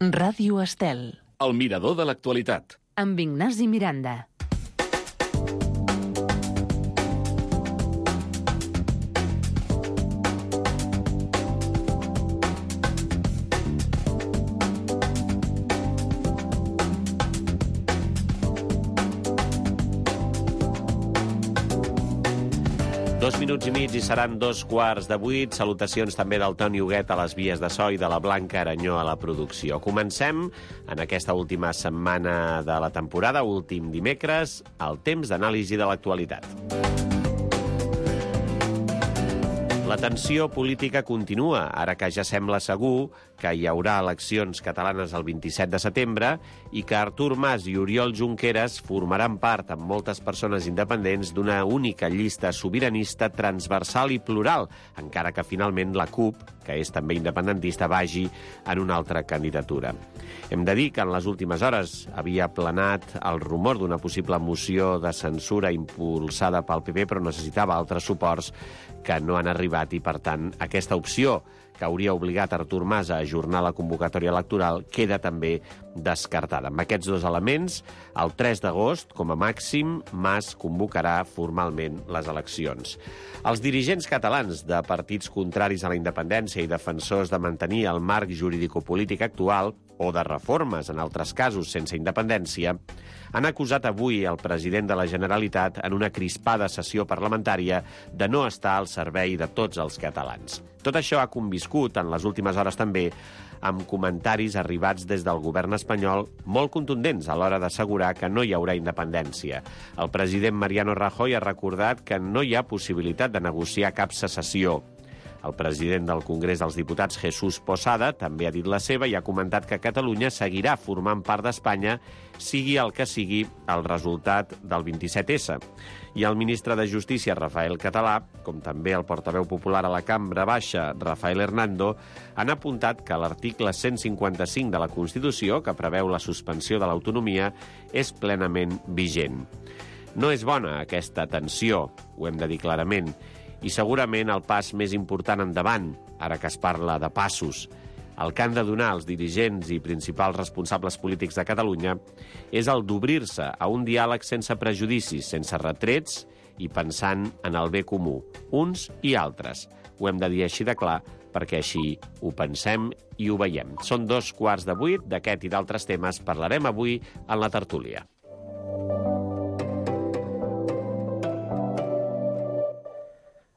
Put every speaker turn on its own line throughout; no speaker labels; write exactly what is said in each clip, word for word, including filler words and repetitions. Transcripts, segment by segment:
Ràdio Estel.
El mirador de l'actualitat.
Amb Ignasi Miranda.
Dos minuts i mig i seran dos quarts de vuit. Salutacions també del Toni Huguet a les vies de so i de la Blanca Aranyó a la producció. Comencem en aquesta última setmana de la temporada, últim dimecres, el temps d'anàlisi de l'actualitat. La tensió política continua, ara que ja sembla segur que hi haurà eleccions catalanes el vint-i-set de setembre i que Artur Mas i Oriol Junqueras formaran part, amb moltes persones independents, d'una única llista sobiranista transversal i plural, encara que finalment la CUP, que és també independentista, vagi en una altra candidatura. Hem de dir que en les últimes hores havia planat el rumor d'una possible moció de censura impulsada pel P P, però necessitava altres suports que no han arribat i, per tant, aquesta opció que hauria obligat Artur Mas a ajornar la convocatòria electoral queda també descartada. Amb aquests dos elements, el tres d'agost, com a màxim, Mas convocarà formalment les eleccions. Els dirigents catalans de partits contraris a la independència i defensors de mantenir el marc jurídico-polític actual, o de reformes, en altres casos, sense independència, han acusat avui el president de la Generalitat en una crispada sessió parlamentària de no estar al servei de tots els catalans. Tot això ha conviscut en les últimes hores també amb comentaris arribats des del govern espanyol molt contundents a l'hora d'assegurar que no hi haurà independència. El president Mariano Rajoy ha recordat que no hi ha possibilitat de negociar cap secessió. El president del Congrés dels Diputats, Jesús Posada, també ha dit la seva i ha comentat que Catalunya seguirà formant part d'Espanya, sigui el que sigui el resultat del vint-i-set essa. I el ministre de Justícia, Rafael Català, com també el portaveu popular a la Cambra Baixa, Rafael Hernando, han apuntat que l'article cent cinquanta-cinc de la Constitució, que preveu la suspensió de l'autonomia, és plenament vigent. No és bona aquesta tensió, ho hem de dir clarament, i segurament el pas més important endavant, ara que es parla de passos, el que han de donar els dirigents i principals responsables polítics de Catalunya és el d'obrir-se a un diàleg sense prejudicis, sense retrets i pensant en el bé comú, uns i altres. Ho hem de dir així de clar, perquè així ho pensem i ho veiem. Són dos quarts de vuit, d'aquest i d'altres temes parlarem avui en la tertúlia.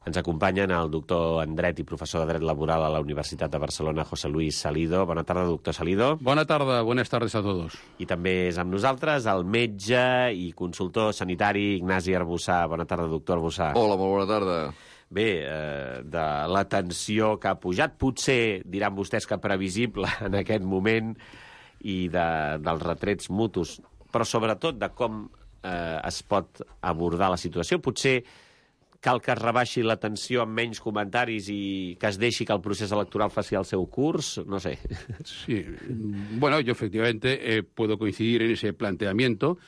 Ens acompanyen el doctor en Dret i professor de Dret Laboral a la Universitat de Barcelona, José Luis Salido. Bona tarda, doctor Salido.
Bona tarda, buenas tardes a todos.
I també és amb nosaltres el metge i consultor sanitari Ignasi Arbussà. Bona tarda, doctor Arbussà.
Hola, molt bona tarda.
Bé, eh, de la tensió que ha pujat, potser diran vostès que previsible en aquest moment, i de, dels retrets mutus, però sobretot de com eh, es pot abordar la situació. Potser cal que es rebaixi la tensió amb menys comentaris i que es deixi que el procés electoral faci el seu curs, no sé.
Sí, bueno, yo efectivamente eh, puedo coincidir en ese planteamiento,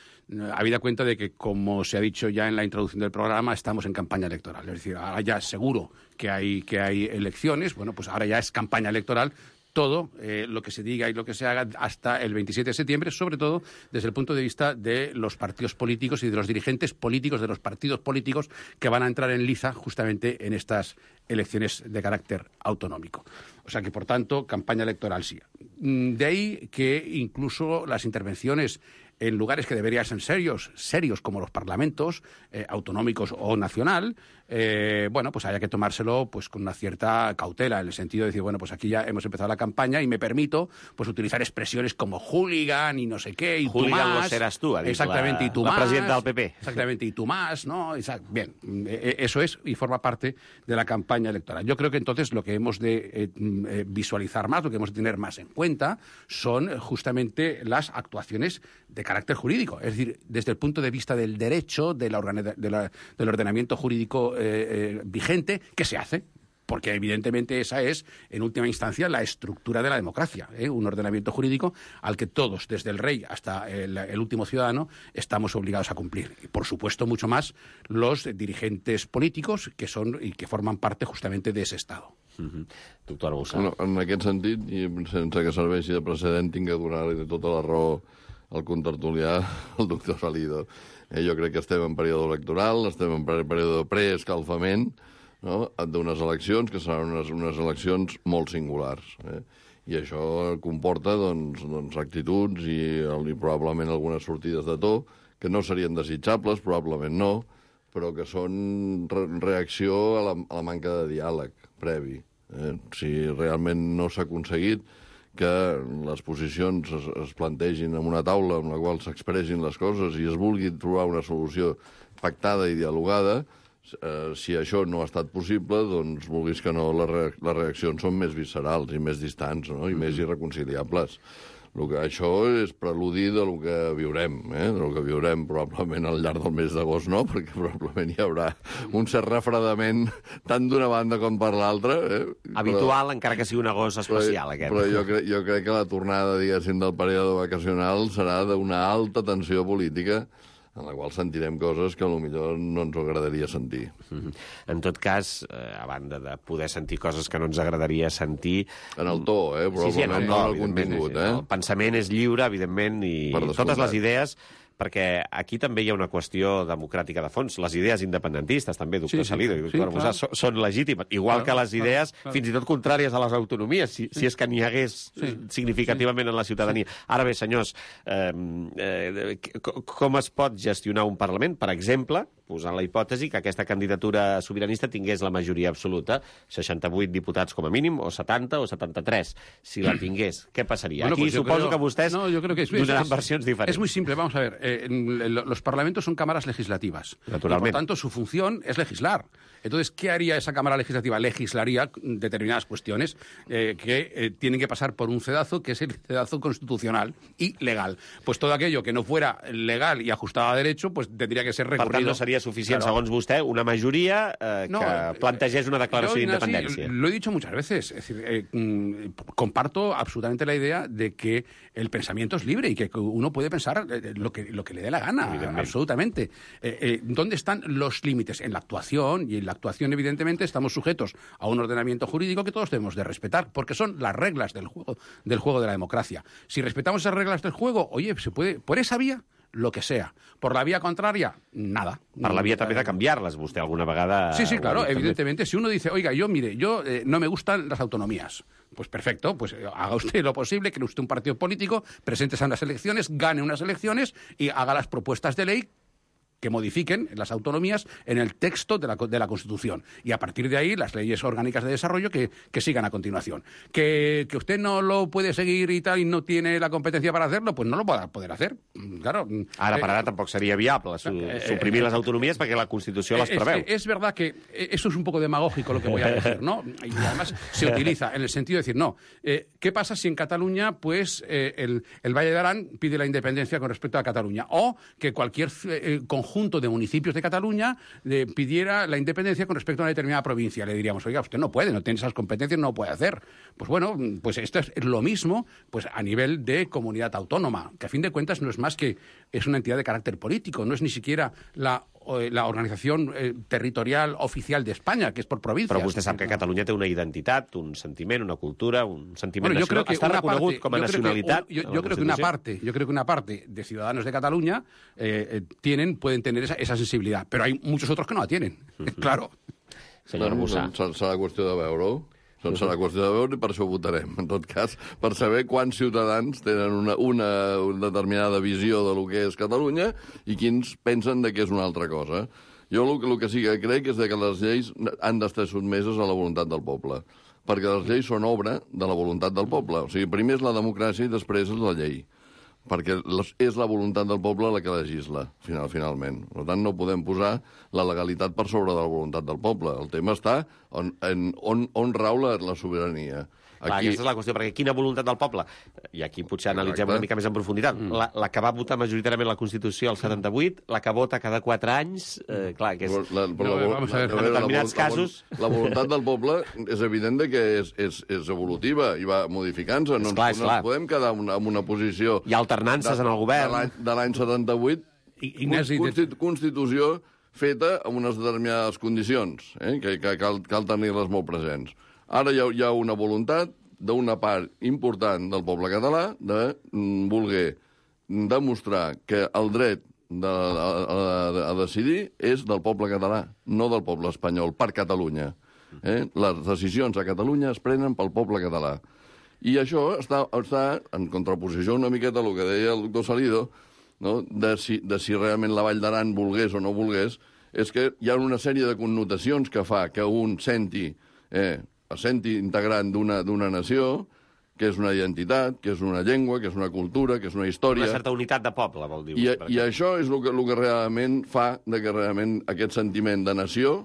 habida cuenta de que, como se ha dicho ya en la introducción del programa, estamos en campaña electoral. Es decir, ahora ya seguro que hay, que hay elecciones, bueno, pues ahora ya es campaña electoral. Todo eh, lo que se diga y lo que se haga hasta el veintisiete de septiembre, sobre todo desde el punto de vista de los partidos políticos y de los dirigentes políticos de los partidos políticos que van a entrar en liza justamente en estas elecciones de carácter autonómico. O sea que, por tanto, campaña electoral sí. De ahí que incluso las intervenciones en lugares que deberían ser serios, serios como los parlamentos, eh, autonómicos o nacional, eh, bueno, pues haya que tomárselo pues con una cierta cautela, en el sentido de decir, bueno, pues aquí ya hemos empezado la campaña y me permito pues utilizar expresiones como hooligan y no sé qué, y
hooligan
tú más.
Lo serás tú, ha dit
exactamente,
la,
y tú
la
más,
presidenta del P P.
Exactamente, y tú más, ¿no? Exact, bien, eso es y forma parte de la campaña electoral. Yo creo que entonces lo que hemos de eh, eh, visualizar más, lo que hemos de tener más en cuenta, son justamente las actuaciones de carácter jurídico, es decir, desde el punto de vista del derecho, de la organi- de la, del ordenamiento jurídico eh, eh, vigente, ¿qué se hace? Porque evidentemente esa es, en última instancia, la estructura de la democracia, ¿eh? Un ordenamiento jurídico al que todos, desde el rey hasta el, el último ciudadano, estamos obligados a cumplir. Y, por supuesto, mucho más los dirigentes políticos que son y que forman parte justamente de ese Estado.
Mm-hmm. Doctor Arbussà.
No, en aquest sentit, i sense que serveixi de precedent, tinc que donar-li tota la raó al contertulià, el doctor Salido. Eh, jo crec que estem en període electoral, estem en període de preescalfament, no?, d'unes eleccions que seran unes, unes eleccions molt singulars. Eh? I això comporta doncs, doncs, actituds i, i probablement algunes sortides de to que no serien desitjables, probablement no, però que són re reacció a la, a la manca de diàleg previ. Eh? Si realment no s'ha aconseguit que les posicions es, es plantegin en una taula en la qual s'expressin les coses i es vulgui trobar una solució pactada i dialogada, eh, si això no ha estat possible, doncs, vulguis que no, les, re les reaccions són més viscerals i més distants, no?, i més irreconciliables. El que això és preludi de lo que viurem, eh? de lo que viurem probablement al llarg del mes d'agost, no? Perquè probablement hi haurà un cert refredament tant d'una banda com per l'altra. Eh?
Habitual, però, encara que sigui un agost especial,
però,
aquest.
Però jo, cre jo crec que la tornada, diguéssim, del període vacacional serà d'una alta tensió política en la qual sentirem coses que potser no ens agradaria sentir.
Mm-hmm. En tot cas, eh, a banda de poder sentir coses que no ens agradaria sentir...
En el to, eh? Probablement sí, sí, en el to, no en el contingut, eh?
El pensament és lliure, evidentment, i totes les idees... Perquè aquí també hi ha una qüestió democràtica de fons. Les idees independentistes, també, doctor sí, sí, Salido i doctor Arbussà, sí, són legítimes. Igual clar, que les idees, clar, clar. fins i tot contràries a les autonomies, si, sí. si és que n'hi hagués sí, significativament sí. en la ciutadania. Sí. Ara bé, senyors, eh, eh, com es pot gestionar un Parlament, per exemple, posant la hipòtesi que aquesta candidatura sobiranista tingués la majoria absoluta, seixanta-vuit diputats com a mínim, o setanta o setanta-tres. Si la tingués, què passaria? Bueno, aquí pues suposo creo... que vostès
no, yo creo que es,
donaran
es,
versions diferents.
Es muy simple, vamos a ver. Eh, los parlamentos son cámaras legislativas.
Naturalmente.
Y por tanto, su función es legislar. Entonces, ¿qué haría esa Cámara Legislativa? Legislaría determinadas cuestiones eh, que eh, tienen que pasar por un cedazo, que es el cedazo constitucional y legal. Pues todo aquello que no fuera legal y ajustado a derecho, pues tendría que ser recurrido.
Per tant, no seria suficient, claro, segons vostè, una majoria eh, no, que plantegés una declaració d'independència.
Sí, lo he dicho muchas veces. Es decir, eh, mm, comparto absolutamente la idea de que el pensamiento es libre y que uno puede pensar eh, lo, que, lo que le dé la gana, absolutamente. Eh, eh, ¿Dónde están los límites? En la actuación, y en la actuación, evidentemente, estamos sujetos a un ordenamiento jurídico que todos debemos de respetar, porque son las reglas del juego, del juego de la democracia. Si respetamos esas reglas del juego, oye, se puede, por esa vía, lo que sea. Por la vía contraria, nada.
Per la vía també de canviar-les, vostè alguna vegada...
Sí, sí, claro, evidentemente. Si uno dice, oiga, yo, mire, yo eh, no me gustan las autonomías, pues perfecto, pues eh, haga usted lo posible, cree usted un partido político, preséntese a unas elecciones, gane unas elecciones y haga las propuestas de ley que modifiquen las autonomías en el texto de la, de la Constitución. Y a partir de ahí, las leyes orgánicas de desarrollo que, que sigan a continuación. Que, que usted no lo puede seguir y tal y no tiene la competencia para hacerlo, pues no lo va a poder hacer. Claro.
Ara per ara eh, tampoc seria viable su, eh, suprimir eh, les autonomies perquè la Constitució les preveu.
Es, es verdad que eso es un poco demagógico lo que voy a decir, ¿no? Y además se utiliza en el sentido de decir, no, eh, ¿qué pasa si en Cataluña pues eh, el, el Valle de Arán pide la independencia con respecto a Cataluña? O que cualquier eh, conjunto conjunto de municipios de Cataluña eh, pidiera la independencia con respecto a una determinada provincia. Le diríamos, oiga, usted no puede, no tiene esas competencias, no lo puede hacer. Pues bueno, pues esto es lo mismo pues a nivel de comunidad autónoma, que a fin de cuentas no es más que es una entidad de carácter político, no es ni siquiera la la organización eh, territorial oficial de España, que es por provincias.
Però vostè sap que Catalunya té una identitat, un sentiment, una cultura, un sentiment
bueno, yo
nacional.
Creo que
Està reconegut
parte,
com a nacionalitat.
Que, yo, yo creo que una parte, yo creo que una parte de ciudadanos de Cataluña eh, tienen, pueden tener esa, esa sensibilidad, pero hay muchos otros que no la tienen, uh-huh. Claro.
Senyor Arbussà.
Serà qüestió de veure-ho. Doncs serà qüestió de veure i per això votarem, en tot cas, per saber quants ciutadans tenen una, una, una determinada visió de lo que és Catalunya i quins pensen de que és una altra cosa. Jo el, el que sí que crec és que les lleis han d'estar sotmeses a la voluntat del poble, perquè les lleis són obra de la voluntat del poble. O sigui, primer és la democràcia i després és la llei, perquè és la voluntat del poble la que legisla, final, finalment. Per tant, no podem posar la legalitat per sobre de la voluntat del poble. El tema està on, en, on, on rau la, la sobirania.
Clar, aquí... Aquesta és la qüestió, perquè quina voluntat del poble? I aquí potser analitzem Exacte. una mica més en profunditat. Mm. La, la que va votar majoritàriament la Constitució al setanta-vuit, la que vota cada quatre anys, eh, clar, que és...
La, la, la,
no, la, en determinats la, casos...
La, la voluntat del poble és evident que és, és, és evolutiva i va modificant-se. No,
clar,
no ens podem quedar en una, en una posició...
Hi ha alternances de, en el govern.
De l'any setanta-vuit, constitu, Constitució feta amb unes determinades condicions, eh, que, que cal, cal tenir-les molt presents. Ara hi ha, hi ha una voluntat d'una part important del poble català de mm, voler demostrar que el dret de, a, a, a decidir és del poble català, no del poble espanyol, per Catalunya. Eh? Les decisions a Catalunya es prenen pel poble català. I això està, està en contraposició una miqueta al que deia el doctor Salido, no? de, si, de si realment la Vall d'Aran volgués o no volgués, és que hi ha una sèrie de connotacions que fa que un senti, eh, es senti integrant d'una d'una nació, que és una identitat, que és una llengua, que és una cultura, que és una història...
Una certa unitat de poble, vol dir.
I, i això és el que, el que realment fa de que realment aquest sentiment de nació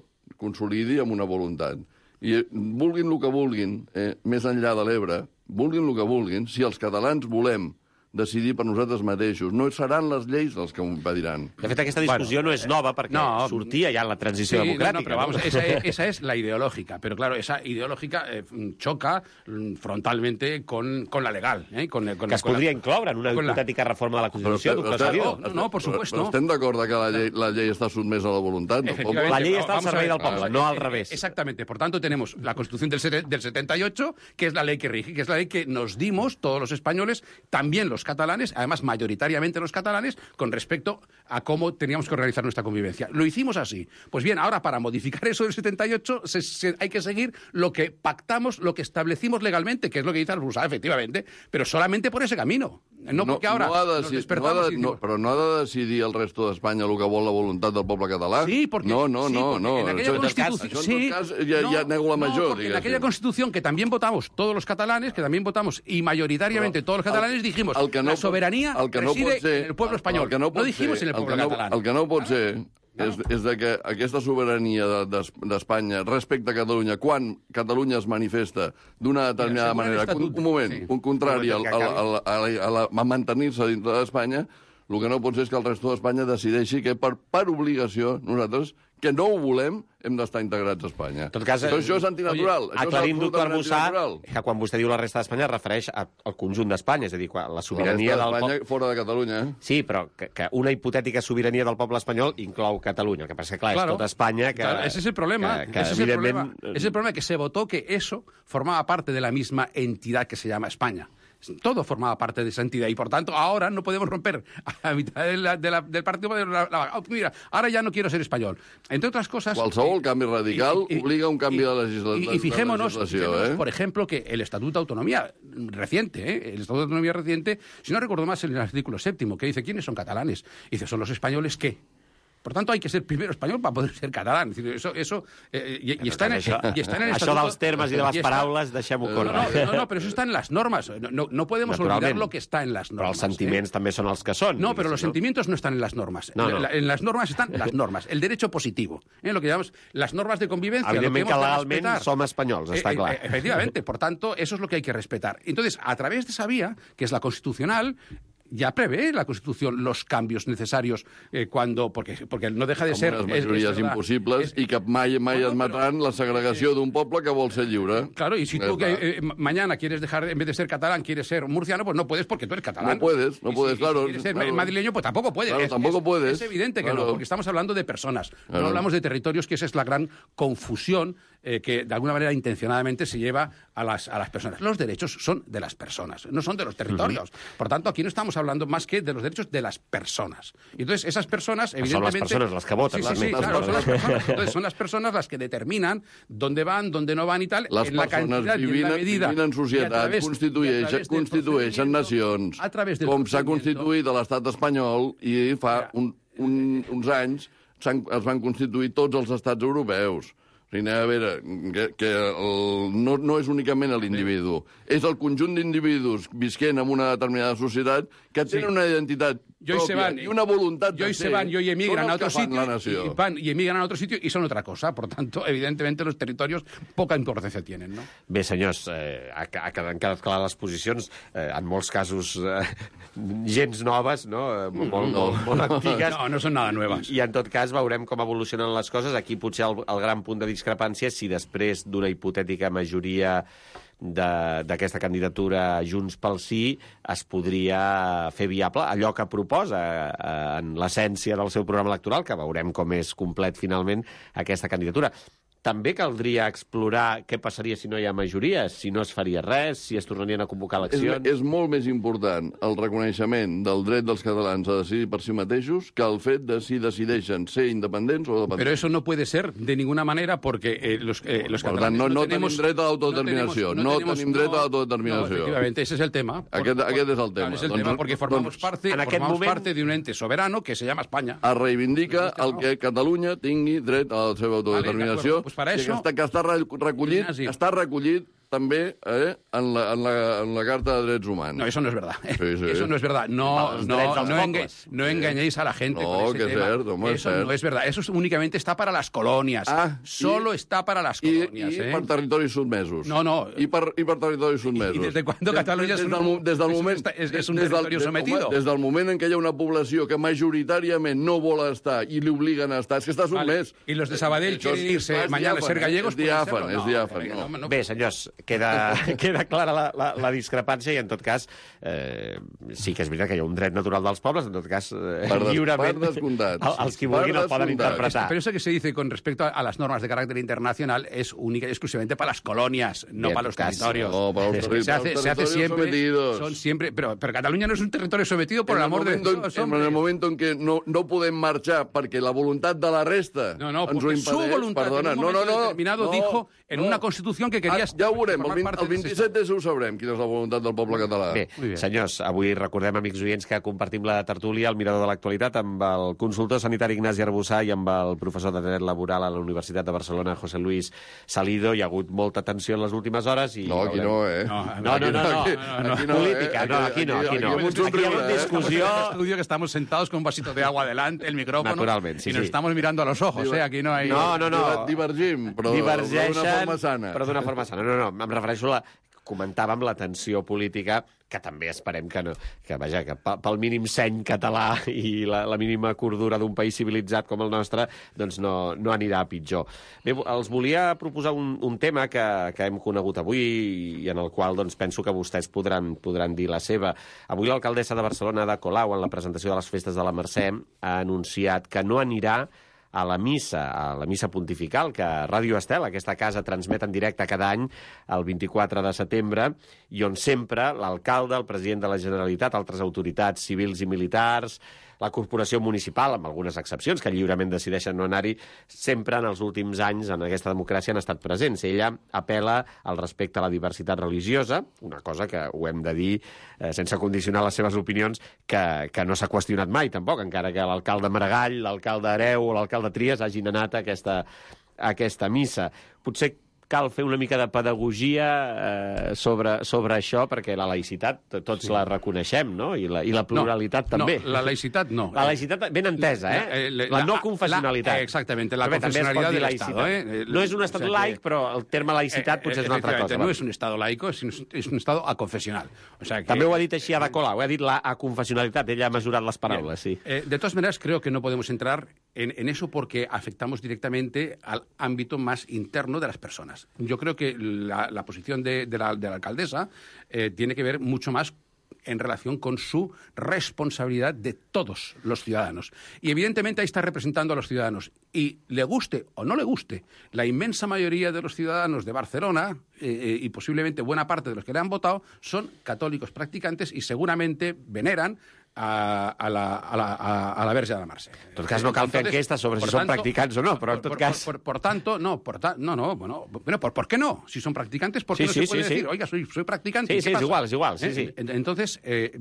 consolidi amb una voluntat. I vulguin el que vulguin, eh, més enllà de l'Ebre, vulguin el que vulguin, si els catalans volem decidir per nosaltres mateixos. No seran les lleis els que ho impediran.
De fet, aquesta discussió bueno, no és nova perquè no, sortia ja en la transició
sí,
democràtica.
No, no, pero vamos, esa, esa es la ideológica. Pero claro, esa ideológica eh, choca frontalmente con, con la legal. Eh, con, con,
que es
con
podria
la,
incloure en una hipotètica la... reforma de la Constitució, doctor Salido.
No, no, por supuesto.
Però estem d'acord que la llei, la llei està sotmesa a la voluntat del poble?
La llei està al servei del poble, no al revés.
Exactamente. Por tanto, tenemos la Constitución del, del setenta y ocho, que es la ley que rige, que es la ley que nos dimos todos los españoles, también los catalanes, además mayoritariamente los catalanes, con respecto a cómo teníamos que organizar nuestra convivencia. Lo hicimos así. Pues bien, ahora para modificar eso del setenta y ocho se, se, hay que seguir lo que pactamos, lo que establecimos legalmente, que es lo que dice Albusá, efectivamente, pero solamente por ese camino. No, porque ahora
no ha de,
nos
si,
despertamos
no ha de,
y decimos...
no, però no ha de decidir el resto d'Espanya el que vol la voluntat del poble català?
Sí, porque...
No, no,
sí,
no. no.
En aquella
això,
Constitución...
això,
sí,
en tot cas, ja,
no,
ja nego la major,
no, porque en aquella Constitución que también votamos todos los catalanes, que también votamos y mayoritariamente
però
todos los catalanes, el, dijimos
el que no
la soberanía
el que no
reside
ser,
en el pueblo español.
El que no,
no dijimos
ser,
en el pueblo
el que no,
catalán.
El que no pot ser és, és de que aquesta sobirania d'Espanya respecte a Catalunya, quan Catalunya es manifesta d'una determinada manera, un, un moment, sí. un contrari al, al, al, al, al, a mantenir-se dintre d'Espanya, el que no pot ser és que el resto d'Espanya decideixi que per, per obligació nosaltres, que no ho volem, hem d'estar integrats a Espanya.
En tot cas,
Però això és antinatural.
Oye, aclarim, doctor Arbusà, que quan vostè diu la resta d'Espanya es refereix a, al conjunt d'Espanya, és a dir, la sobirania
la
del
poble... fora de Catalunya. Eh?
Sí, però que, que una hipotètica sobirania del poble espanyol inclou Catalunya. El que passa que, clar,
claro,
és tota Espanya que...
Claro, ese es el problema.
Que, que,
ese, es el problema. Ese es el problema, que se votó que eso formaba parte de la misma entidad que se llama España. Todo formaba parte de esa entidad y, por tanto, ahora no podemos romper a la mitad de la, de la, del partido. De la, la, oh, mira, ahora ya no quiero ser español. Entre otras cosas...
Qualsevol canvi radical
y, y,
obliga a un canvi
y,
de, legisla
y, y fijémonos,
de legislació.
fijémonos
¿eh?
por ejemplo, que el Estatuto de Autonomía reciente, ¿eh? el Estatuto de Autonomía reciente, si no recuerdo más, en el artículo séptimo, que dice, ¿quiénes son catalanes? Y dice, ¿son los españoles qué? Por tanto, hay que ser primero español para poder ser catalán. Es decir, eso, eso, eh, y, y, está en,
això,
y está en el
Això dels termes i de les paraules, deixem-ho
no,
córrer.
no, no, no, pero eso está en las normas. No, no, no podemos olvidar lo que está en las normas.
Però els sentiments
¿eh?
també són els que són.
No, pero los
¿no?
sentimientos no están en las normas.
No, no.
La, en las normas están las normas. El derecho positivo. ¿eh? Lo que llamamos las normas de convivencia.
Evidentment que legalment
respetar.
som espanyols, està
eh,
clar.
Eh, efectivamente. Por tanto, eso es lo que hay que respetar. Entonces, a través de esa vía, que es la constitucional, ya prevé la Constitución los cambios necesarios eh, cuando... Porque, porque no deja de
Com
ser...
unes majories
es, es
impossibles
es,
i que mai, mai
bueno,
admetran
pero,
la segregació d'un poble que vol ser lliure.
Claro, y si tú que, eh, mañana quieres dejar, en vez de ser catalán, quieres ser murciano, pues no puedes porque tú eres catalán.
No puedes, no
y
puedes,
si,
claro.
Si quieres ser
claro.
madrileño, pues tampoco puedes.
Claro,
es,
tampoco
es,
puedes.
Es evidente que
claro.
no, porque estamos hablando de personas.
Claro.
No hablamos de territorios, que esa es la gran confusión eh, que de alguna manera intencionadamente se lleva a las, a las personas. Los derechos son de las personas, no son de los territorios. Uh-huh. Por tanto, aquí no estamos hablando más que de los derechos de las personas. Y entonces, esas personas, evidentemente...
Son las personas las que votan.
Sí, sí, sí,
las
claro, son las
personas.
personas. Entonces, son las personas las que determinan dónde van, dónde no van y tal,
Les
en la cantidad y en la medida.
vivint en societat, constitueixen, constitueixen nacions, com s'ha constituït a l'estat espanyol i fa un, un, uns anys es van constituir tots els estats europeus. O sigui, a veure, que, que el, no, no és únicament l'individu, és el conjunt d'individus visquent en una determinada societat que tenen sí. una identitat
yo
propia
van,
y una voluntad
y hoy se van y hoy emigran a otro sitio y, van, y emigran a otro sitio y son otra cosa. Por tanto, evidentemente, los territorios poca importancia tienen, no?
Bé, senyors, eh, ha, ha quedat clares les posicions, eh, en molts casos eh, gens noves, no? Eh, molt,
no.
molt, molt antigues.
No, no són nada nuevas.
I, I, en tot cas, veurem com evolucionen les coses. Aquí potser el, el gran punt de discrepància és si després d'una hipotètica majoria d'aquesta candidatura Junts pel Sí es podria fer viable allò que proposa eh, en l'essència del seu programa electoral, que veurem com és complet finalment aquesta candidatura. també caldria explorar què passaria si no hi ha majories, si no es faria res, si es tornarien a convocar
És,
eleccions...
és molt més important el reconeixement del dret dels catalans a decidir per si mateixos que el fet de si decideixen ser independents o dependents.
Pero eso no puede ser de ninguna manera porque eh, los, eh, los
Per
catalanes
tant, no, no
tenemos,
tenim dret a l'autodeterminació. No, no
tenemos-
tenim dret a
no,
l'autodeterminació.
no, efectivamente, ese es el tema. Por-
Aquest-
por-
aquest és el tema.
Claro, es el
Doncs-
tema porque formamos,
doncs,
parte,
en aquest
formamos
moment-
parte de un ente soberano que se llama España.
Es reivindica
No,
el que Catalunya tingui dret a la seva autodeterminació,
Vale, de acuerdo. Pues para
i
eso-
que està, que està re- recollit,
Ignasi.
està recollit també eh, en, la, en, la, en la Carta de Drets Humans.
No, eso no es verdad.
Sí, sí.
Eso no es verdad. No,
Los
no,
derechos
no,
dels
enga-
pobles.
no engañéis a la gente
No,
con ese
que es
tema.
cierto, home, es
eso
cierto.
no es verdad. Eso es- únicamente está para las colonias.
Ah,
Solo
i-
está para las
I,
colonias.
i
¿eh?
per territoris sotmesos.
No, no.
I per, i per territoris sotmesos.
¿Y desde cuándo
Des-
Cataluña
des,
es
des
un-
del, mo- des del
es un
moment,
esta- es- es un
des del-
territorio
des-
sometido?
home, des del moment en què hi ha una població que majoritàriament no vol estar i li obliguen a estar, és que està
Vale.
sotmès.
Y los de Sabadell
Això
quieren
és-
irse
és
mañana a ser
diàfan,
gallegos.
És
pueden
diàfan,
serlo.
és
No,
diàfan.
no,
No.
no, no.
Bé, senyors, queda, queda clara la, la, la discrepància i, en tot cas, eh, sí que és veritat que hi ha un dret natural dels pobles, en tot cas, eh,
Per des-
lliurement,
per descomptat.
el- els qui
Per
vulguin el poden
descomptat.
interpretar.
Pero eso que se dice con respecto a, a las normas de carácter internacional es única y exclusivamente para las colonias, no
Bien,
para los
casi.
territorios.
No, para los
Es que
terri-
se hace,
para los
se hace
territorios
siempre,
sometidos.
son siempre, pero, pero Cataluña no es un territorio sometido por
en
el amor de
momento en-
Dios,
en
hombre.
el moment en què no, no podem marxar perquè la voluntat de la resta
No, no,
ens ho
porque su
impedeix,
voluntad
perdona,
en un
no, no,
momento
no,
determinado
no,
dijo en
no.
una constitución que quería
Ah, ja ho veurem, el,
formar
vint,
parte
el
de ese
vint-i-set de ho sabrem, quina és la voluntat del poble català.
Bé,
Muy bien.
senyors, avui recordem, amics oients, que compartim la tertúlia al Mirador de l'Actualitat amb el consultor sanitari Ignasi Arbussà i amb el professor de dret laboral a la Universitat de Barcelona, José Luis Salido. Hi ha hagut molta tensió en les últimes hores i...
No, aquí
veurem.
no, eh?
No,
No, no, no, no,
Aquí-
no, no,
aquí no,
política,
eh?
no, aquí no, aquí no.
Aquí hi ha un
Aquí hi ha
somriure,
hagut
eh?
discussió...
Estamos en el estudio que estamos sentados con un vasito de agua delante, el micrófono,
Naturalment, sí,
y nos
sí.
estamos mirando a los ojos, ¿eh? Aquí no hay...
No, no, no.
Divergim, però
divergeixen,
d'una forma sana.
però d'una forma sana. No, no, em refereixo a la... Comentàvem la tensió política, que també esperem que no... Que, vaja, que pe- pel mínim seny català i la, la mínima cordura d'un país civilitzat com el nostre, doncs no, no anirà a pitjor. Bé, els volia proposar un, un tema que, que hem conegut avui i en el qual doncs, penso que vostès podran, podran dir la seva. Avui l'alcaldessa de Barcelona, Ada Colau, en la presentació de les festes de la Mercè, ha anunciat que no anirà a la missa, a la missa pontifical, que Ràdio Estel, aquesta casa, transmet en directe cada any, el vint-i-quatre de setembre, i on sempre l'alcalde, el president de la Generalitat, altres autoritats civils i militars, la corporació municipal, amb algunes excepcions, que lliurement decideixen no anar-hi, sempre en els últims anys en aquesta democràcia han estat presents. Ella apel·la al respecte a la diversitat religiosa, una cosa que ho hem de dir eh, sense condicionar les seves opinions, que, que no s'ha qüestionat mai, tampoc, encara que l'alcalde Maragall, l'alcalde Hereu o l'alcalde Trias hagin anat a aquesta, a aquesta missa. Potser cal fer una mica de pedagogia eh, sobre, sobre això, perquè la laïcitat tots sí. la reconeixem, no? I la, i la pluralitat
no,
també.
No, la laïcitat no.
La laïcitat ben entesa, eh? La, la, la no confessionalitat.
La, exactamente, la
Bé,
confessionalidad del
laïcitat.
Estado. ¿eh?
No és un estat
o sea
laic,
que,
però el terme laïcitat eh, potser és una altra cosa.
No és un Estado laico, sinó és un Estado aconfessional. O sea que,
també ho ha dit així Ada Colau, ha dit la aconfessionalitat, ella ha mesurat les paraules,
bien.
sí.
Eh, de todas maneras, creo que no podemos entrar en, en eso porque afectamos directamente al ámbito más interno de las personas. Yo creo que la, la posición de, de, la, de la alcaldesa eh, tiene que ver mucho más en relación con su responsabilidad de todos los ciudadanos. Y evidentemente ahí está representando a los ciudadanos. Y le guste o no le guste, la inmensa mayoría de los ciudadanos de Barcelona eh, y posiblemente buena parte de los que le han votado son católicos practicantes y seguramente veneran a, a, la, a, la, a, a la Verge de la Mercè.
En tot cas, no cal fer enquestes sobre si són practicants o no, però en tot
por,
cas...
Por, por, por tanto, no, por ta, no, no, bueno, bueno por, ¿por qué no? Si son practicantes, ¿por qué
Sí,
no
sí,
se puede
sí,
decir,
sí.
oiga, soy, soy practicante?
Sí,
¿qué
sí, es
pasa?
igual, es igual, sí,
¿Eh?
sí.
Entonces, eh,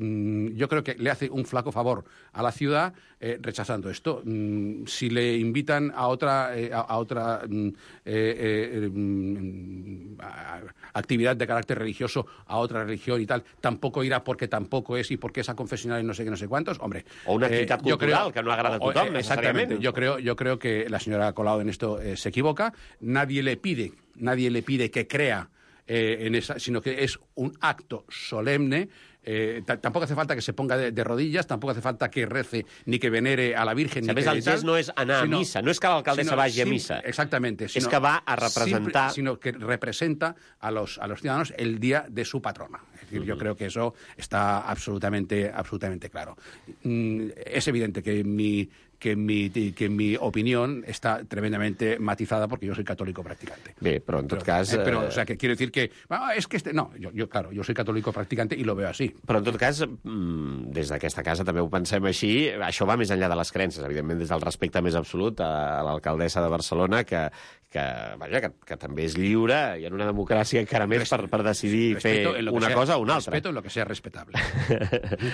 yo creo que le hace un flaco favor a la ciudad eh, rechazando esto. Mm, si le invitan a otra, eh, a, a otra mm, eh, eh, mm, a- actividad de carácter religioso, a otra religión y tal, tampoco irá porque tampoco es y porque es aconfesional y no sé qué, no sé cuántos. Hombre,
O una activitat
eh, yo
cultural
creo-
que no agrada a
o- o-
tothom,
eh, Exactamente.
necessàriament.
Yo creo, yo creo que la señora Colau en esto eh, se equivoca. Nadie le pide, nadie le pide que crea eh, en esa, sino que es un acto solemne. Eh, t- tampoco hace falta que se ponga de, de rodillas, tampoco hace falta que rece ni que venere a la Virgen.
A
ni
més,
que
el
tal,
gest no és anar a
sino-
missa, no és que l'alcaldessa
sino
vagi a
sim-
missa.
Exactamente.
És que va a representar...
simple- sino que representa a los, a los ciudadanos el día de su patrona. Es decir, uh-huh. Yo creo que eso está absolutamente, absolutamente claro. Mm, es evidente que mi que mi, que mi opinión está tremendamente matizada porque yo soy católico practicante.
Bé, però en tot
Pero,
cas...
eh, pero,
eh,
o sea, que quiero decir que... ah, es que este... No, yo, yo, claro, yo soy católico practicante y lo veo así.
Però, en tot cas, mm, des d'aquesta casa també ho pensem així, això va més enllà de les creences, evidentment des del respecte més absolut a l'alcaldessa de Barcelona, que, que, vaja, que, que també és lliure i en una democràcia encara més per, per decidir fer una
sea,
cosa o una altra.
Respeto en lo que sea respetable.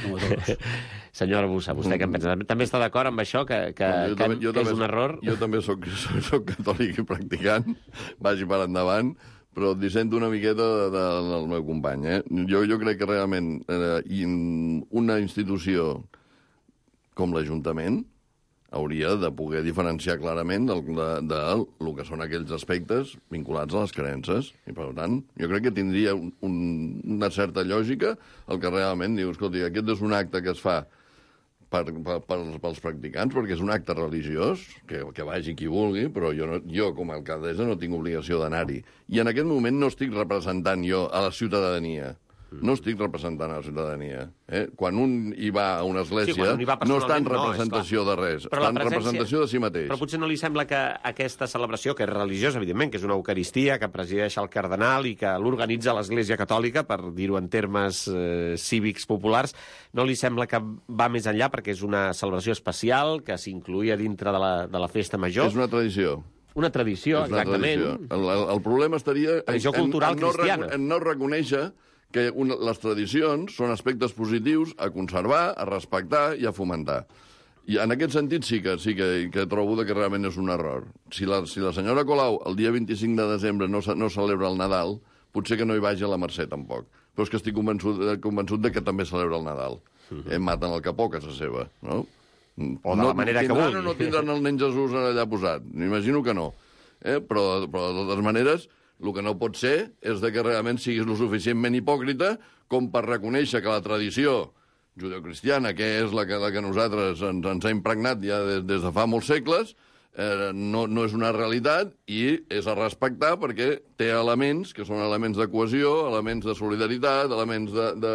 Como todos.
Senyora Bussa, vostè què en pensa? També està d'acord amb això, que, que,
No, jo
que,
també- jo
que és
també-
un error?
Jo també soc, soc, soc catòlic i practicant, vagi per endavant, però dissento una miqueta de- de- del meu company. Eh? Jo, jo crec que realment eh, in- una institució com l'Ajuntament hauria de poder diferenciar clarament del, de, de el que són aquells aspectes vinculats a les creences. I, per tant, jo crec que tindria un, un, una certa lògica el que realment diu, escolti, aquest és un acte que es fa per, per, per, pels practicants, perquè és un acte religiós, que, que vagi qui vulgui, però jo, no, jo com a alcaldessa no tinc obligació d'anar-hi. I en aquest moment no estic representant jo a la ciutadania. No estic representant a la ciutadania. Eh? Quan un hi va a una església,
Sí, quan un hi va
no està en
personalment, no,
representació de res,
Però
està
la
en
presència-
representació de si mateix.
Però potser no li sembla que aquesta celebració, que és religiosa, evidentment, que és una eucaristia, que presideix el cardenal i que l'organitza l'Església Catòlica, per dir-ho en termes eh, cívics populars, no li sembla que va més enllà perquè és una celebració especial, que s'incluïa dintre de la, de la festa major?
És una tradició.
Una tradició,
És una
exactament.
tradició. El, el, el problema estaria
Tradició cultural
en, no,
cristiana.
en no reconèixer que una, les tradicions són aspectes positius a conservar, a respectar i a fomentar. I en aquest sentit sí que sí que, que trobo que realment és un error. Si la, si la senyora Colau el dia vint-i-cinc de desembre no, no celebra el Nadal, potser que no hi vagi a la Mercè tampoc. Però és que estic convençut, convençut de que també celebra el Nadal. Uh-huh. eh, maten el capó a casa seva, no?
O de la manera que
tindran
vulgui.
o no tindran el nen Jesús allà posat? M'imagino que no. Eh? Però, però de totes maneres, el que no pot ser és de que realment siguis lo suficientment hipòcrita com per reconèixer que la tradició judeocristiana, que és la que, la que nosaltres ens, ens ha impregnat ja des, des de fa molts segles, eh, no, no és una realitat i és a respectar perquè té elements que són elements de cohesió, elements de solidaritat, elements de, de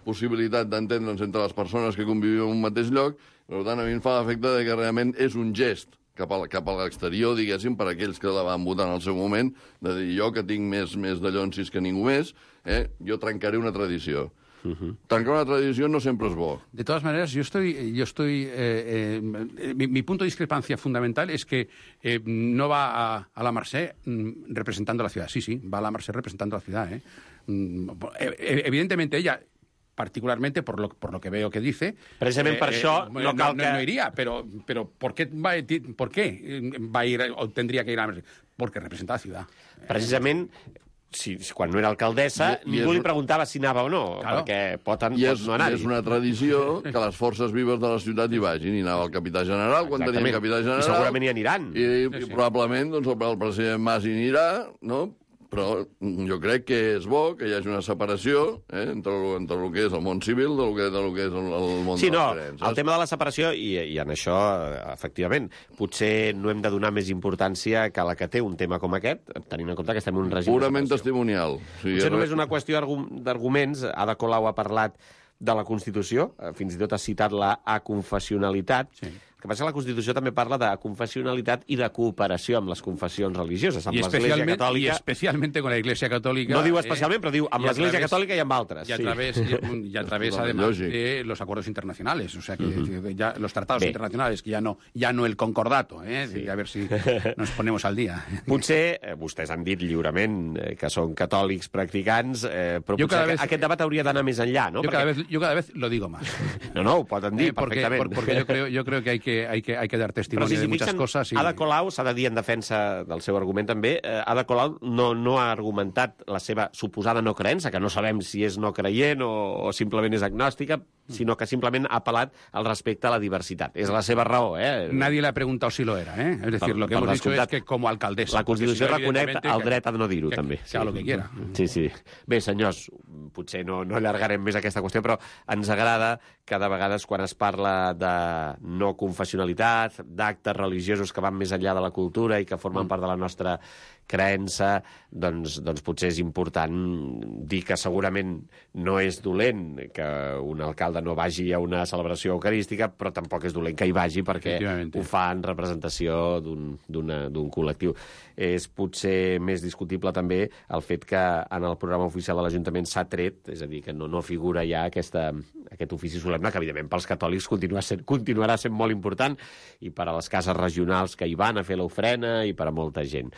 possibilitat d'entendre'ns entre les persones que convivim en un mateix lloc. Per tant, a mi em fa l'efecte de que realment és un gest cap a, cap a l'exterior, diguéssim, per aquells que la van votar en el seu moment, de dir jo que tinc més, més de llonsis que ningú més, eh, jo trencaré una tradició. Uh-huh. Trencar una tradició no sempre es bo.
De todas maneras, yo estoy, yo estoy, eh, eh, mi, mi punto de discrepancia fundamental es que eh, no va a, a la Mercè mm, representando a la ciudad. Sí, sí, va a la Mercè representando a la ciudad. ¿eh? Mm, eh, evidentemente ella, particularmente por lo, por lo que veo que dice...
Precisament per això no
no,
cal
no,
que...
no iría, pero, pero ¿por qué va, a- ¿por qué va a ir o tendría que ir a la Mercè? Porque representa a la ciudad.
Precisament, si, si quan no era alcaldessa,
I- i
ningú
és
li
un-
preguntava si anava o no,
Claro.
perquè pot, en,
I
pot
és,
no anar-hi.
és una tradició que les forces vives de la ciutat hi vagin. Hi anava el capità general, quan
Exactament.
teníem capità general...
I segurament hi aniran.
I, i probablement doncs, el, el president Mas hi anirà, no? Però jo crec que és bo que hi hagi una separació eh, entre, el- entre el que és el món civil del que, del que és el, el món
Sí,
de
no,
les creences.
el tema de la separació, i, i en això, eh, efectivament, potser no hem de donar més importància que la que té un tema com aquest, tenint en compte que estem en un règim
Purament
de separació.
testimonial. O sigui,
Potser
res-
només una qüestió d'argu- d'arguments. Ada Colau ha parlat de la Constitució, eh, fins i tot ha citat la aconfessionalitat.
Sí.
El que passa és que la Constitució també parla de confessionalitat i de cooperació amb les confessions religioses, amb
Y
l'Església
especialmente, y
Catòlica.
especialmente con la Iglesia Católica.
No diu
eh,
especialment, però diu amb
y a
l'Església
través-
Catòlica i amb altres.
Y a
sí.
través, y, y a través
Totalmente
además,
lógico.
de los acuerdos internacionales. O sea, que que ya los tratados
Bé.
internacionales, que ya no, ya no el concordato. ¿eh?
Sí.
A ver si nos ponemos al día.
Potser, eh, vostès han dit lliurement eh, que són catòlics practicants, eh, però
Jo
potser
cada
vez,
vez-
aquest debat hauria d'anar més enllà, no?
Yo, cada vez, yo cada vez lo digo más.
No, no, ho poden dir
Eh, porque,
perfectament.
por- porque yo creo, yo creo que hay que, hay que, hay que dar
Però
testimonio
si
de
s'hi
muchas
fixen,
cosas. Y...
Ada Colau, s'ha de dir en defensa del seu argument també, eh, Ada Colau no, no ha argumentat la seva suposada no creença, que no sabem si és no creient o, o simplement és agnòstica, sinó que simplement ha apel·lat al respecte a la diversitat. És la seva raó, eh?
Nadie le ha preguntado si lo era, ¿eh? Es decir,
Per-
lo que
per
hemos dicho es
descomptat.
que como alcaldesa...
La Constitució
porque si no,
reconeix
evidentemente,
el
que-
dret a no dir-ho,
que-
també.
que haga lo que quiera.
Sí, sí. Bé, senyors, potser no, no allargarem més aquesta qüestió, però ens agrada que de vegades quan es parla de no confessionalitat, d'actes religiosos que van més enllà de la cultura i que formen part de la nostra creença, doncs, doncs potser és important dir que segurament no és dolent que un alcalde no vagi a una celebració eucarística, però tampoc és dolent que hi vagi perquè ho fa en representació d'un col·lectiu. És potser més discutible també el fet que en el programa oficial de l'Ajuntament s'ha tret, és a dir, que no, no figura ja aquesta, aquest ofici solemne, que evidentment pels catòlics continua sent, continuarà sent molt important, i per a les cases regionals que hi van a fer l'ofrena i per a molta gent.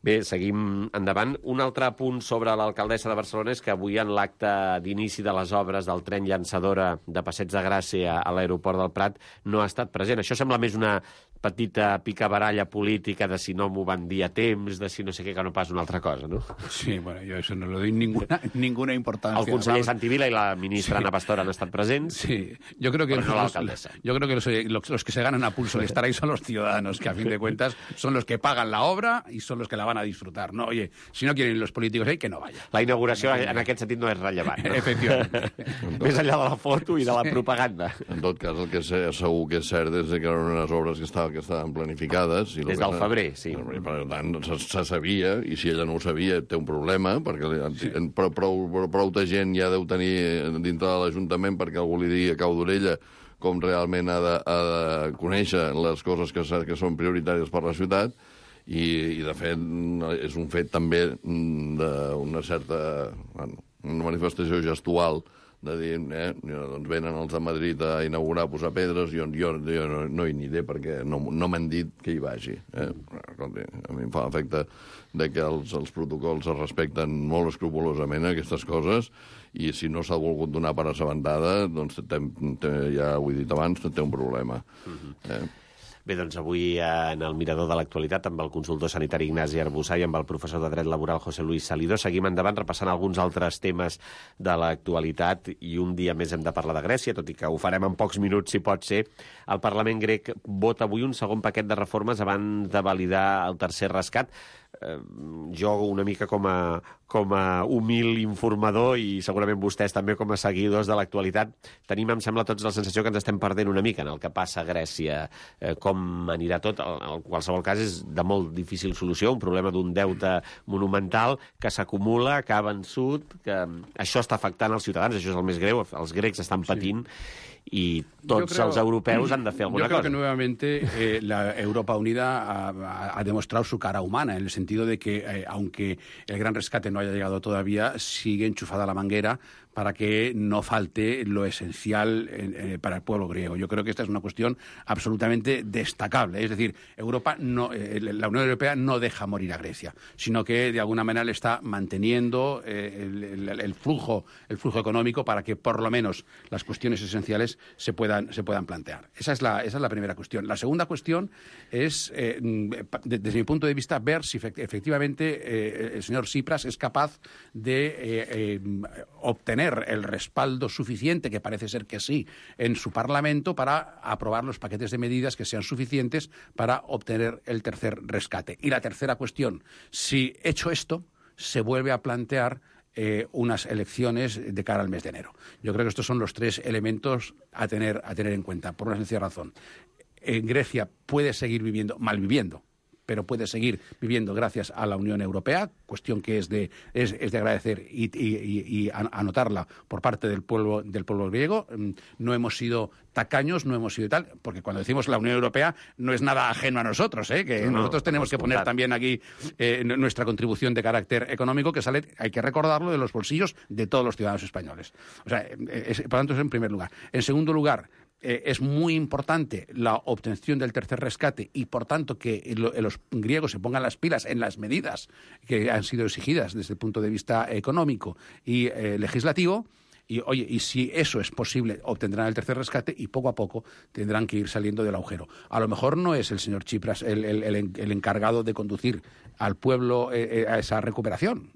Bé, seguim endavant. Un altre punt sobre l'alcaldessa de Barcelona és que avui en l'acte d'inici de les obres del tren llançadora de Passeig de Gràcia a l'aeroport del Prat no ha estat present. Això sembla més una petita picabaralla política de si no m'ho van dir a temps, de si no sé què, que no pas una altra cosa, no?
Sí, bueno, yo eso no le doy ninguna, ninguna importancia.
El conseller Santi Vila i la ministra sí. Ana Pastor han estat presents,
sí. Yo creo que
pero no l'alcaldessa.
Yo creo que los, los, los que se ganan a pulso de estar ahí son los ciudadanos, que a fin de cuentas son los que pagan la obra y son los que la van a disfrutar, ¿no? Oye, si no quieren los políticos ahí, que no vaya.
La inauguració en aquest sentit no és rellevant, no?
Efectivament.
Més enllà de la foto i de la propaganda.
En tot cas, el que sé, segur que és cert és que eren unes obres que estaven que estaven planificades. I
des del febrer, sí.
Per tant, se, se sabia, i si ella no ho sabia, té un problema, perquè sí. prou, prou, prou de gent ja deu tenir dintre de l'Ajuntament perquè algú li digui a cau d'orella com realment ha de, ha de conèixer les coses que, que són prioritàries per la ciutat, i, i de fet és un fet també d'una certa bueno, una manifestació gestual de dir, eh, doncs venen els de Madrid a inaugurar, a posar pedres, jo, jo, jo no, no hi aniré perquè no, no m'han dit que hi vagi. Eh? Escolti, a mi em fa l'efecte de que els, els protocols es respecten molt escrupolosament aquestes coses, i si no s'ha volgut donar per assabentada, doncs té, té, ja ho he dit abans, té un problema. Eh?
Bé, doncs avui en el Mirador de l'Actualitat amb el consultor sanitari Ignasi Arbussà i amb el professor de Dret Laboral José Luis Salidó seguim endavant repassant alguns altres temes de l'actualitat, i un dia més hem de parlar de Grècia, tot i que ho farem en pocs minuts si pot ser. El Parlament grec vota avui un segon paquet de reformes abans de validar el tercer rescat. Eh, jo una mica com a, com a humil informador, i segurament vostès també com a seguidors de l'actualitat, tenim, em sembla, tots la sensació que ens estem perdent una mica en el que passa a Grècia, eh, com anirà tot. En qualsevol cas és de molt difícil solució, un problema d'un deute monumental que s'acumula, que ha vençut, que això està afectant els ciutadans, això és el més greu, els grecs estan patint, sí. Y todos creo, los europeos han de hacer alguna cosa.
Yo creo cosa. que nuevamente eh, la Europa Unida ha, ha demostrado su cara humana, en el sentido de que, eh, aunque el gran rescate no haya llegado todavía, sigue enchufada la manguera para que no falte lo esencial eh, para el pueblo griego. Yo creo que esta es una cuestión absolutamente destacable. Es decir, Europa no, eh, la Unión Europea no deja morir a Grecia, sino que de alguna manera le está manteniendo eh, el, el, el, flujo, el flujo económico para que por lo menos las cuestiones esenciales se puedan, se puedan plantear. Esa es, la, esa es la primera cuestión. La segunda cuestión es, eh, de, desde mi punto de vista, ver si efectivamente eh, el señor Tsipras es capaz de eh, eh, obtener el respaldo suficiente, que parece ser que sí, en su Parlamento para aprobar los paquetes de medidas que sean suficientes para obtener el tercer rescate. Y la tercera cuestión, si hecho esto, se vuelve a plantear eh, unas elecciones de cara al mes de enero. Yo creo que estos son los tres elementos a tener, a tener en cuenta, por una sencilla razón. En Grecia puede seguir viviendo, malviviendo, pero puede seguir viviendo gracias a la Unión Europea, cuestión que es de, es, es de agradecer y, y, y anotarla por parte del pueblo, del pueblo griego. No hemos sido tacaños, no hemos sido tal, porque cuando decimos la Unión Europea no es nada ajeno a nosotros, ¿eh? que no, nosotros tenemos que poner también aquí eh, nuestra contribución de carácter económico, que sale, hay que recordarlo, de los bolsillos de todos los ciudadanos españoles. O sea, es, por tanto, es en primer lugar. En segundo lugar, Eh, es muy importante la obtención del tercer rescate y, por tanto, que lo, los griegos se pongan las pilas en las medidas que han sido exigidas desde el punto de vista económico y eh, legislativo. Y, oye, y si eso es posible, obtendrán el tercer rescate y poco a poco tendrán que ir saliendo del agujero. A lo mejor no es el señor Tsipras el, el, el, el encargado de conducir al pueblo eh, a esa recuperación.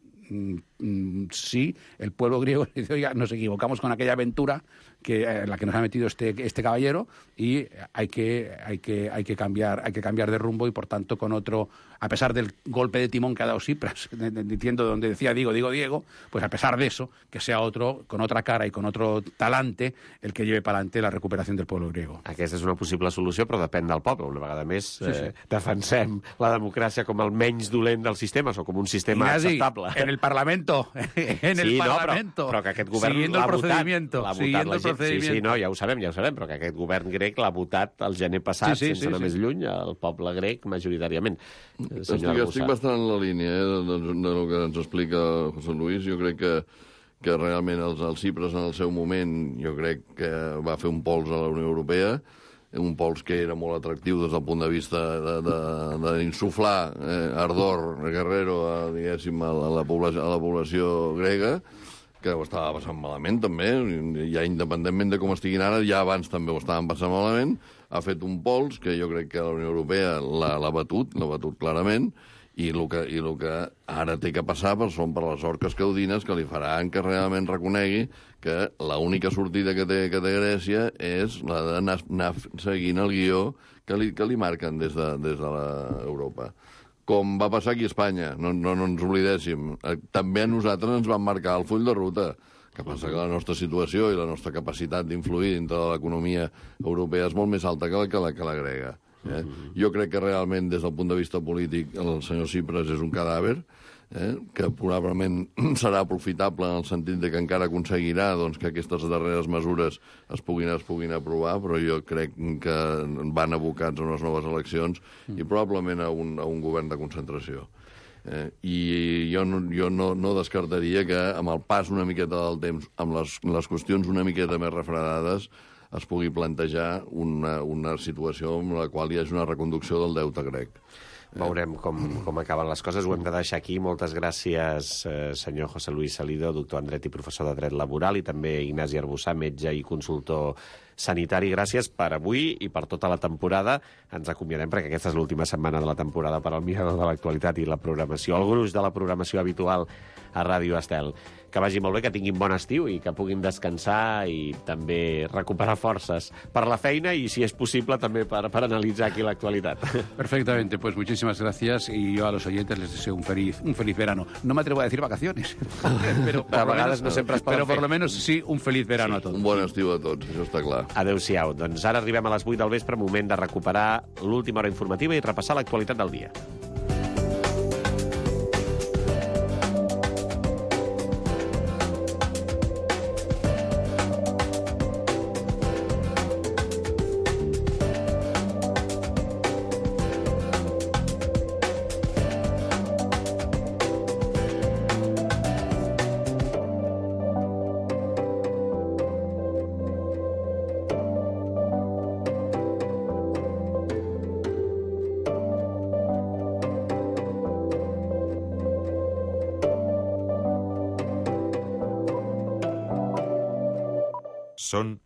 Sí, el pueblo griego dice, oiga, nos equivocamos con aquella aventura, que, en la que nos ha metido este, este caballero, y hay que, hay, que, hay, que cambiar, hay que cambiar de rumbo y, por tanto, con otro, a pesar del golpe de timón que ha dado Tsipras, diciendo donde decía digo, digo, Diego, pues a pesar de eso, que sea otro, con otra cara y con otro talante, el que lleve para adelante la recuperació del pueblo griego.
Aquesta és una possible solució, però depèn del poble. Una vegada més,
Sí, sí.
Eh, defensem la democràcia com el menys dolent dels sistemes o com un sistema
Ignasi,
acceptable.
en el Parlamento, en el
sí,
Parlamento,
no, però, però que aquest govern
siguiendo el
l'ha votat,
procedimiento,
l'ha votat
siguiendo
la
el
gent.
procedimiento.
Sí, sí, no, ja ho sabem, ja ho sabem, però que aquest govern grec l'ha votat el gener passat,
Sí, sí,
sense
sí,
anar
sí.
més lluny, el poble grec majoritàriament. Eh,
Estic,
senyor
estic
Arbussat.
bastant en la línia eh, de, de, de lo que ens explica José Luis. Jo crec que, que realment els, els Tsipras en el seu moment jo crec que va fer un pols a la Unió Europea, un pols que era molt atractiu des del punt de vista d'insuflar eh, ardor guerrero a, diguéssim, a, la, a, la població, a la població grega, que ho estava passant malament també, ja independentment de com estiguin ara, ja abans també ho estaven passant malament, ha fet un pols que jo crec que la Unió Europea l'ha batut, l'ha batut clarament, i el que, i el que ara té que passar per, són per les orques caudines que li faran que realment reconegui que l'única sortida que té, que té Grècia és la d'anar anar seguint el guió que li, que li marquen des de, des de l'Europa. Com va passar aquí a Espanya, no, no, no ens oblidéssim. També a nosaltres ens van marcar el full de ruta. Que passa que la nostra situació i la nostra capacitat d'influir dintre de l'economia europea és molt més alta que la, que la, que la grega. Eh? Jo crec que realment, des del punt de vista polític, el senyor Tsipras és un cadàver, eh? que probablement serà aprofitable en el sentit de que encara aconseguirà doncs, que aquestes darreres mesures es puguin, es puguin aprovar, però jo crec que van abocats a unes noves eleccions i probablement a un, a un govern de concentració. Eh, I jo, no, jo no, no descartaria que amb el pas una miqueta del temps, amb les, les qüestions una miqueta més refredades, es pugui plantejar una, una situació en la qual hi hagi una reconducció del deute grec.
Veurem com, com acaben les coses. Ho hem de deixar aquí. Moltes gràcies, eh, senyor José Luis Salido, doctor en dret i professor de dret laboral, i també Ignasi Arbussat, metge i consultor sanitari. Gràcies per avui i per tota la temporada. Ens acomiadem perquè aquesta és l'última setmana de la temporada per al Mirador de l'Actualitat i la programació, el gruix de la programació habitual a Ràdio Estel. Que vagi molt bé, que tinguin bon estiu i que puguin descansar i també recuperar forces per la feina y, si es posible, també per, per analitzar aquí l'actualitat.
Perfectamente, pues muchísimas gracias y yo a los oyentes les deseo un feliz, un feliz verano. No me atrevo a decir vacaciones, pero, por
A
lo
vegades
menos,
no sempre es poden
pero por
fer.
lo menos sí un feliz verano
Sí.
a todos.
Un bon estiu a tots, això està clar.
Adéu-siau. Doncs ara arribem a les vuit del vespre, moment de recuperar l'última hora informativa i repassar l'actualitat del dia.
Són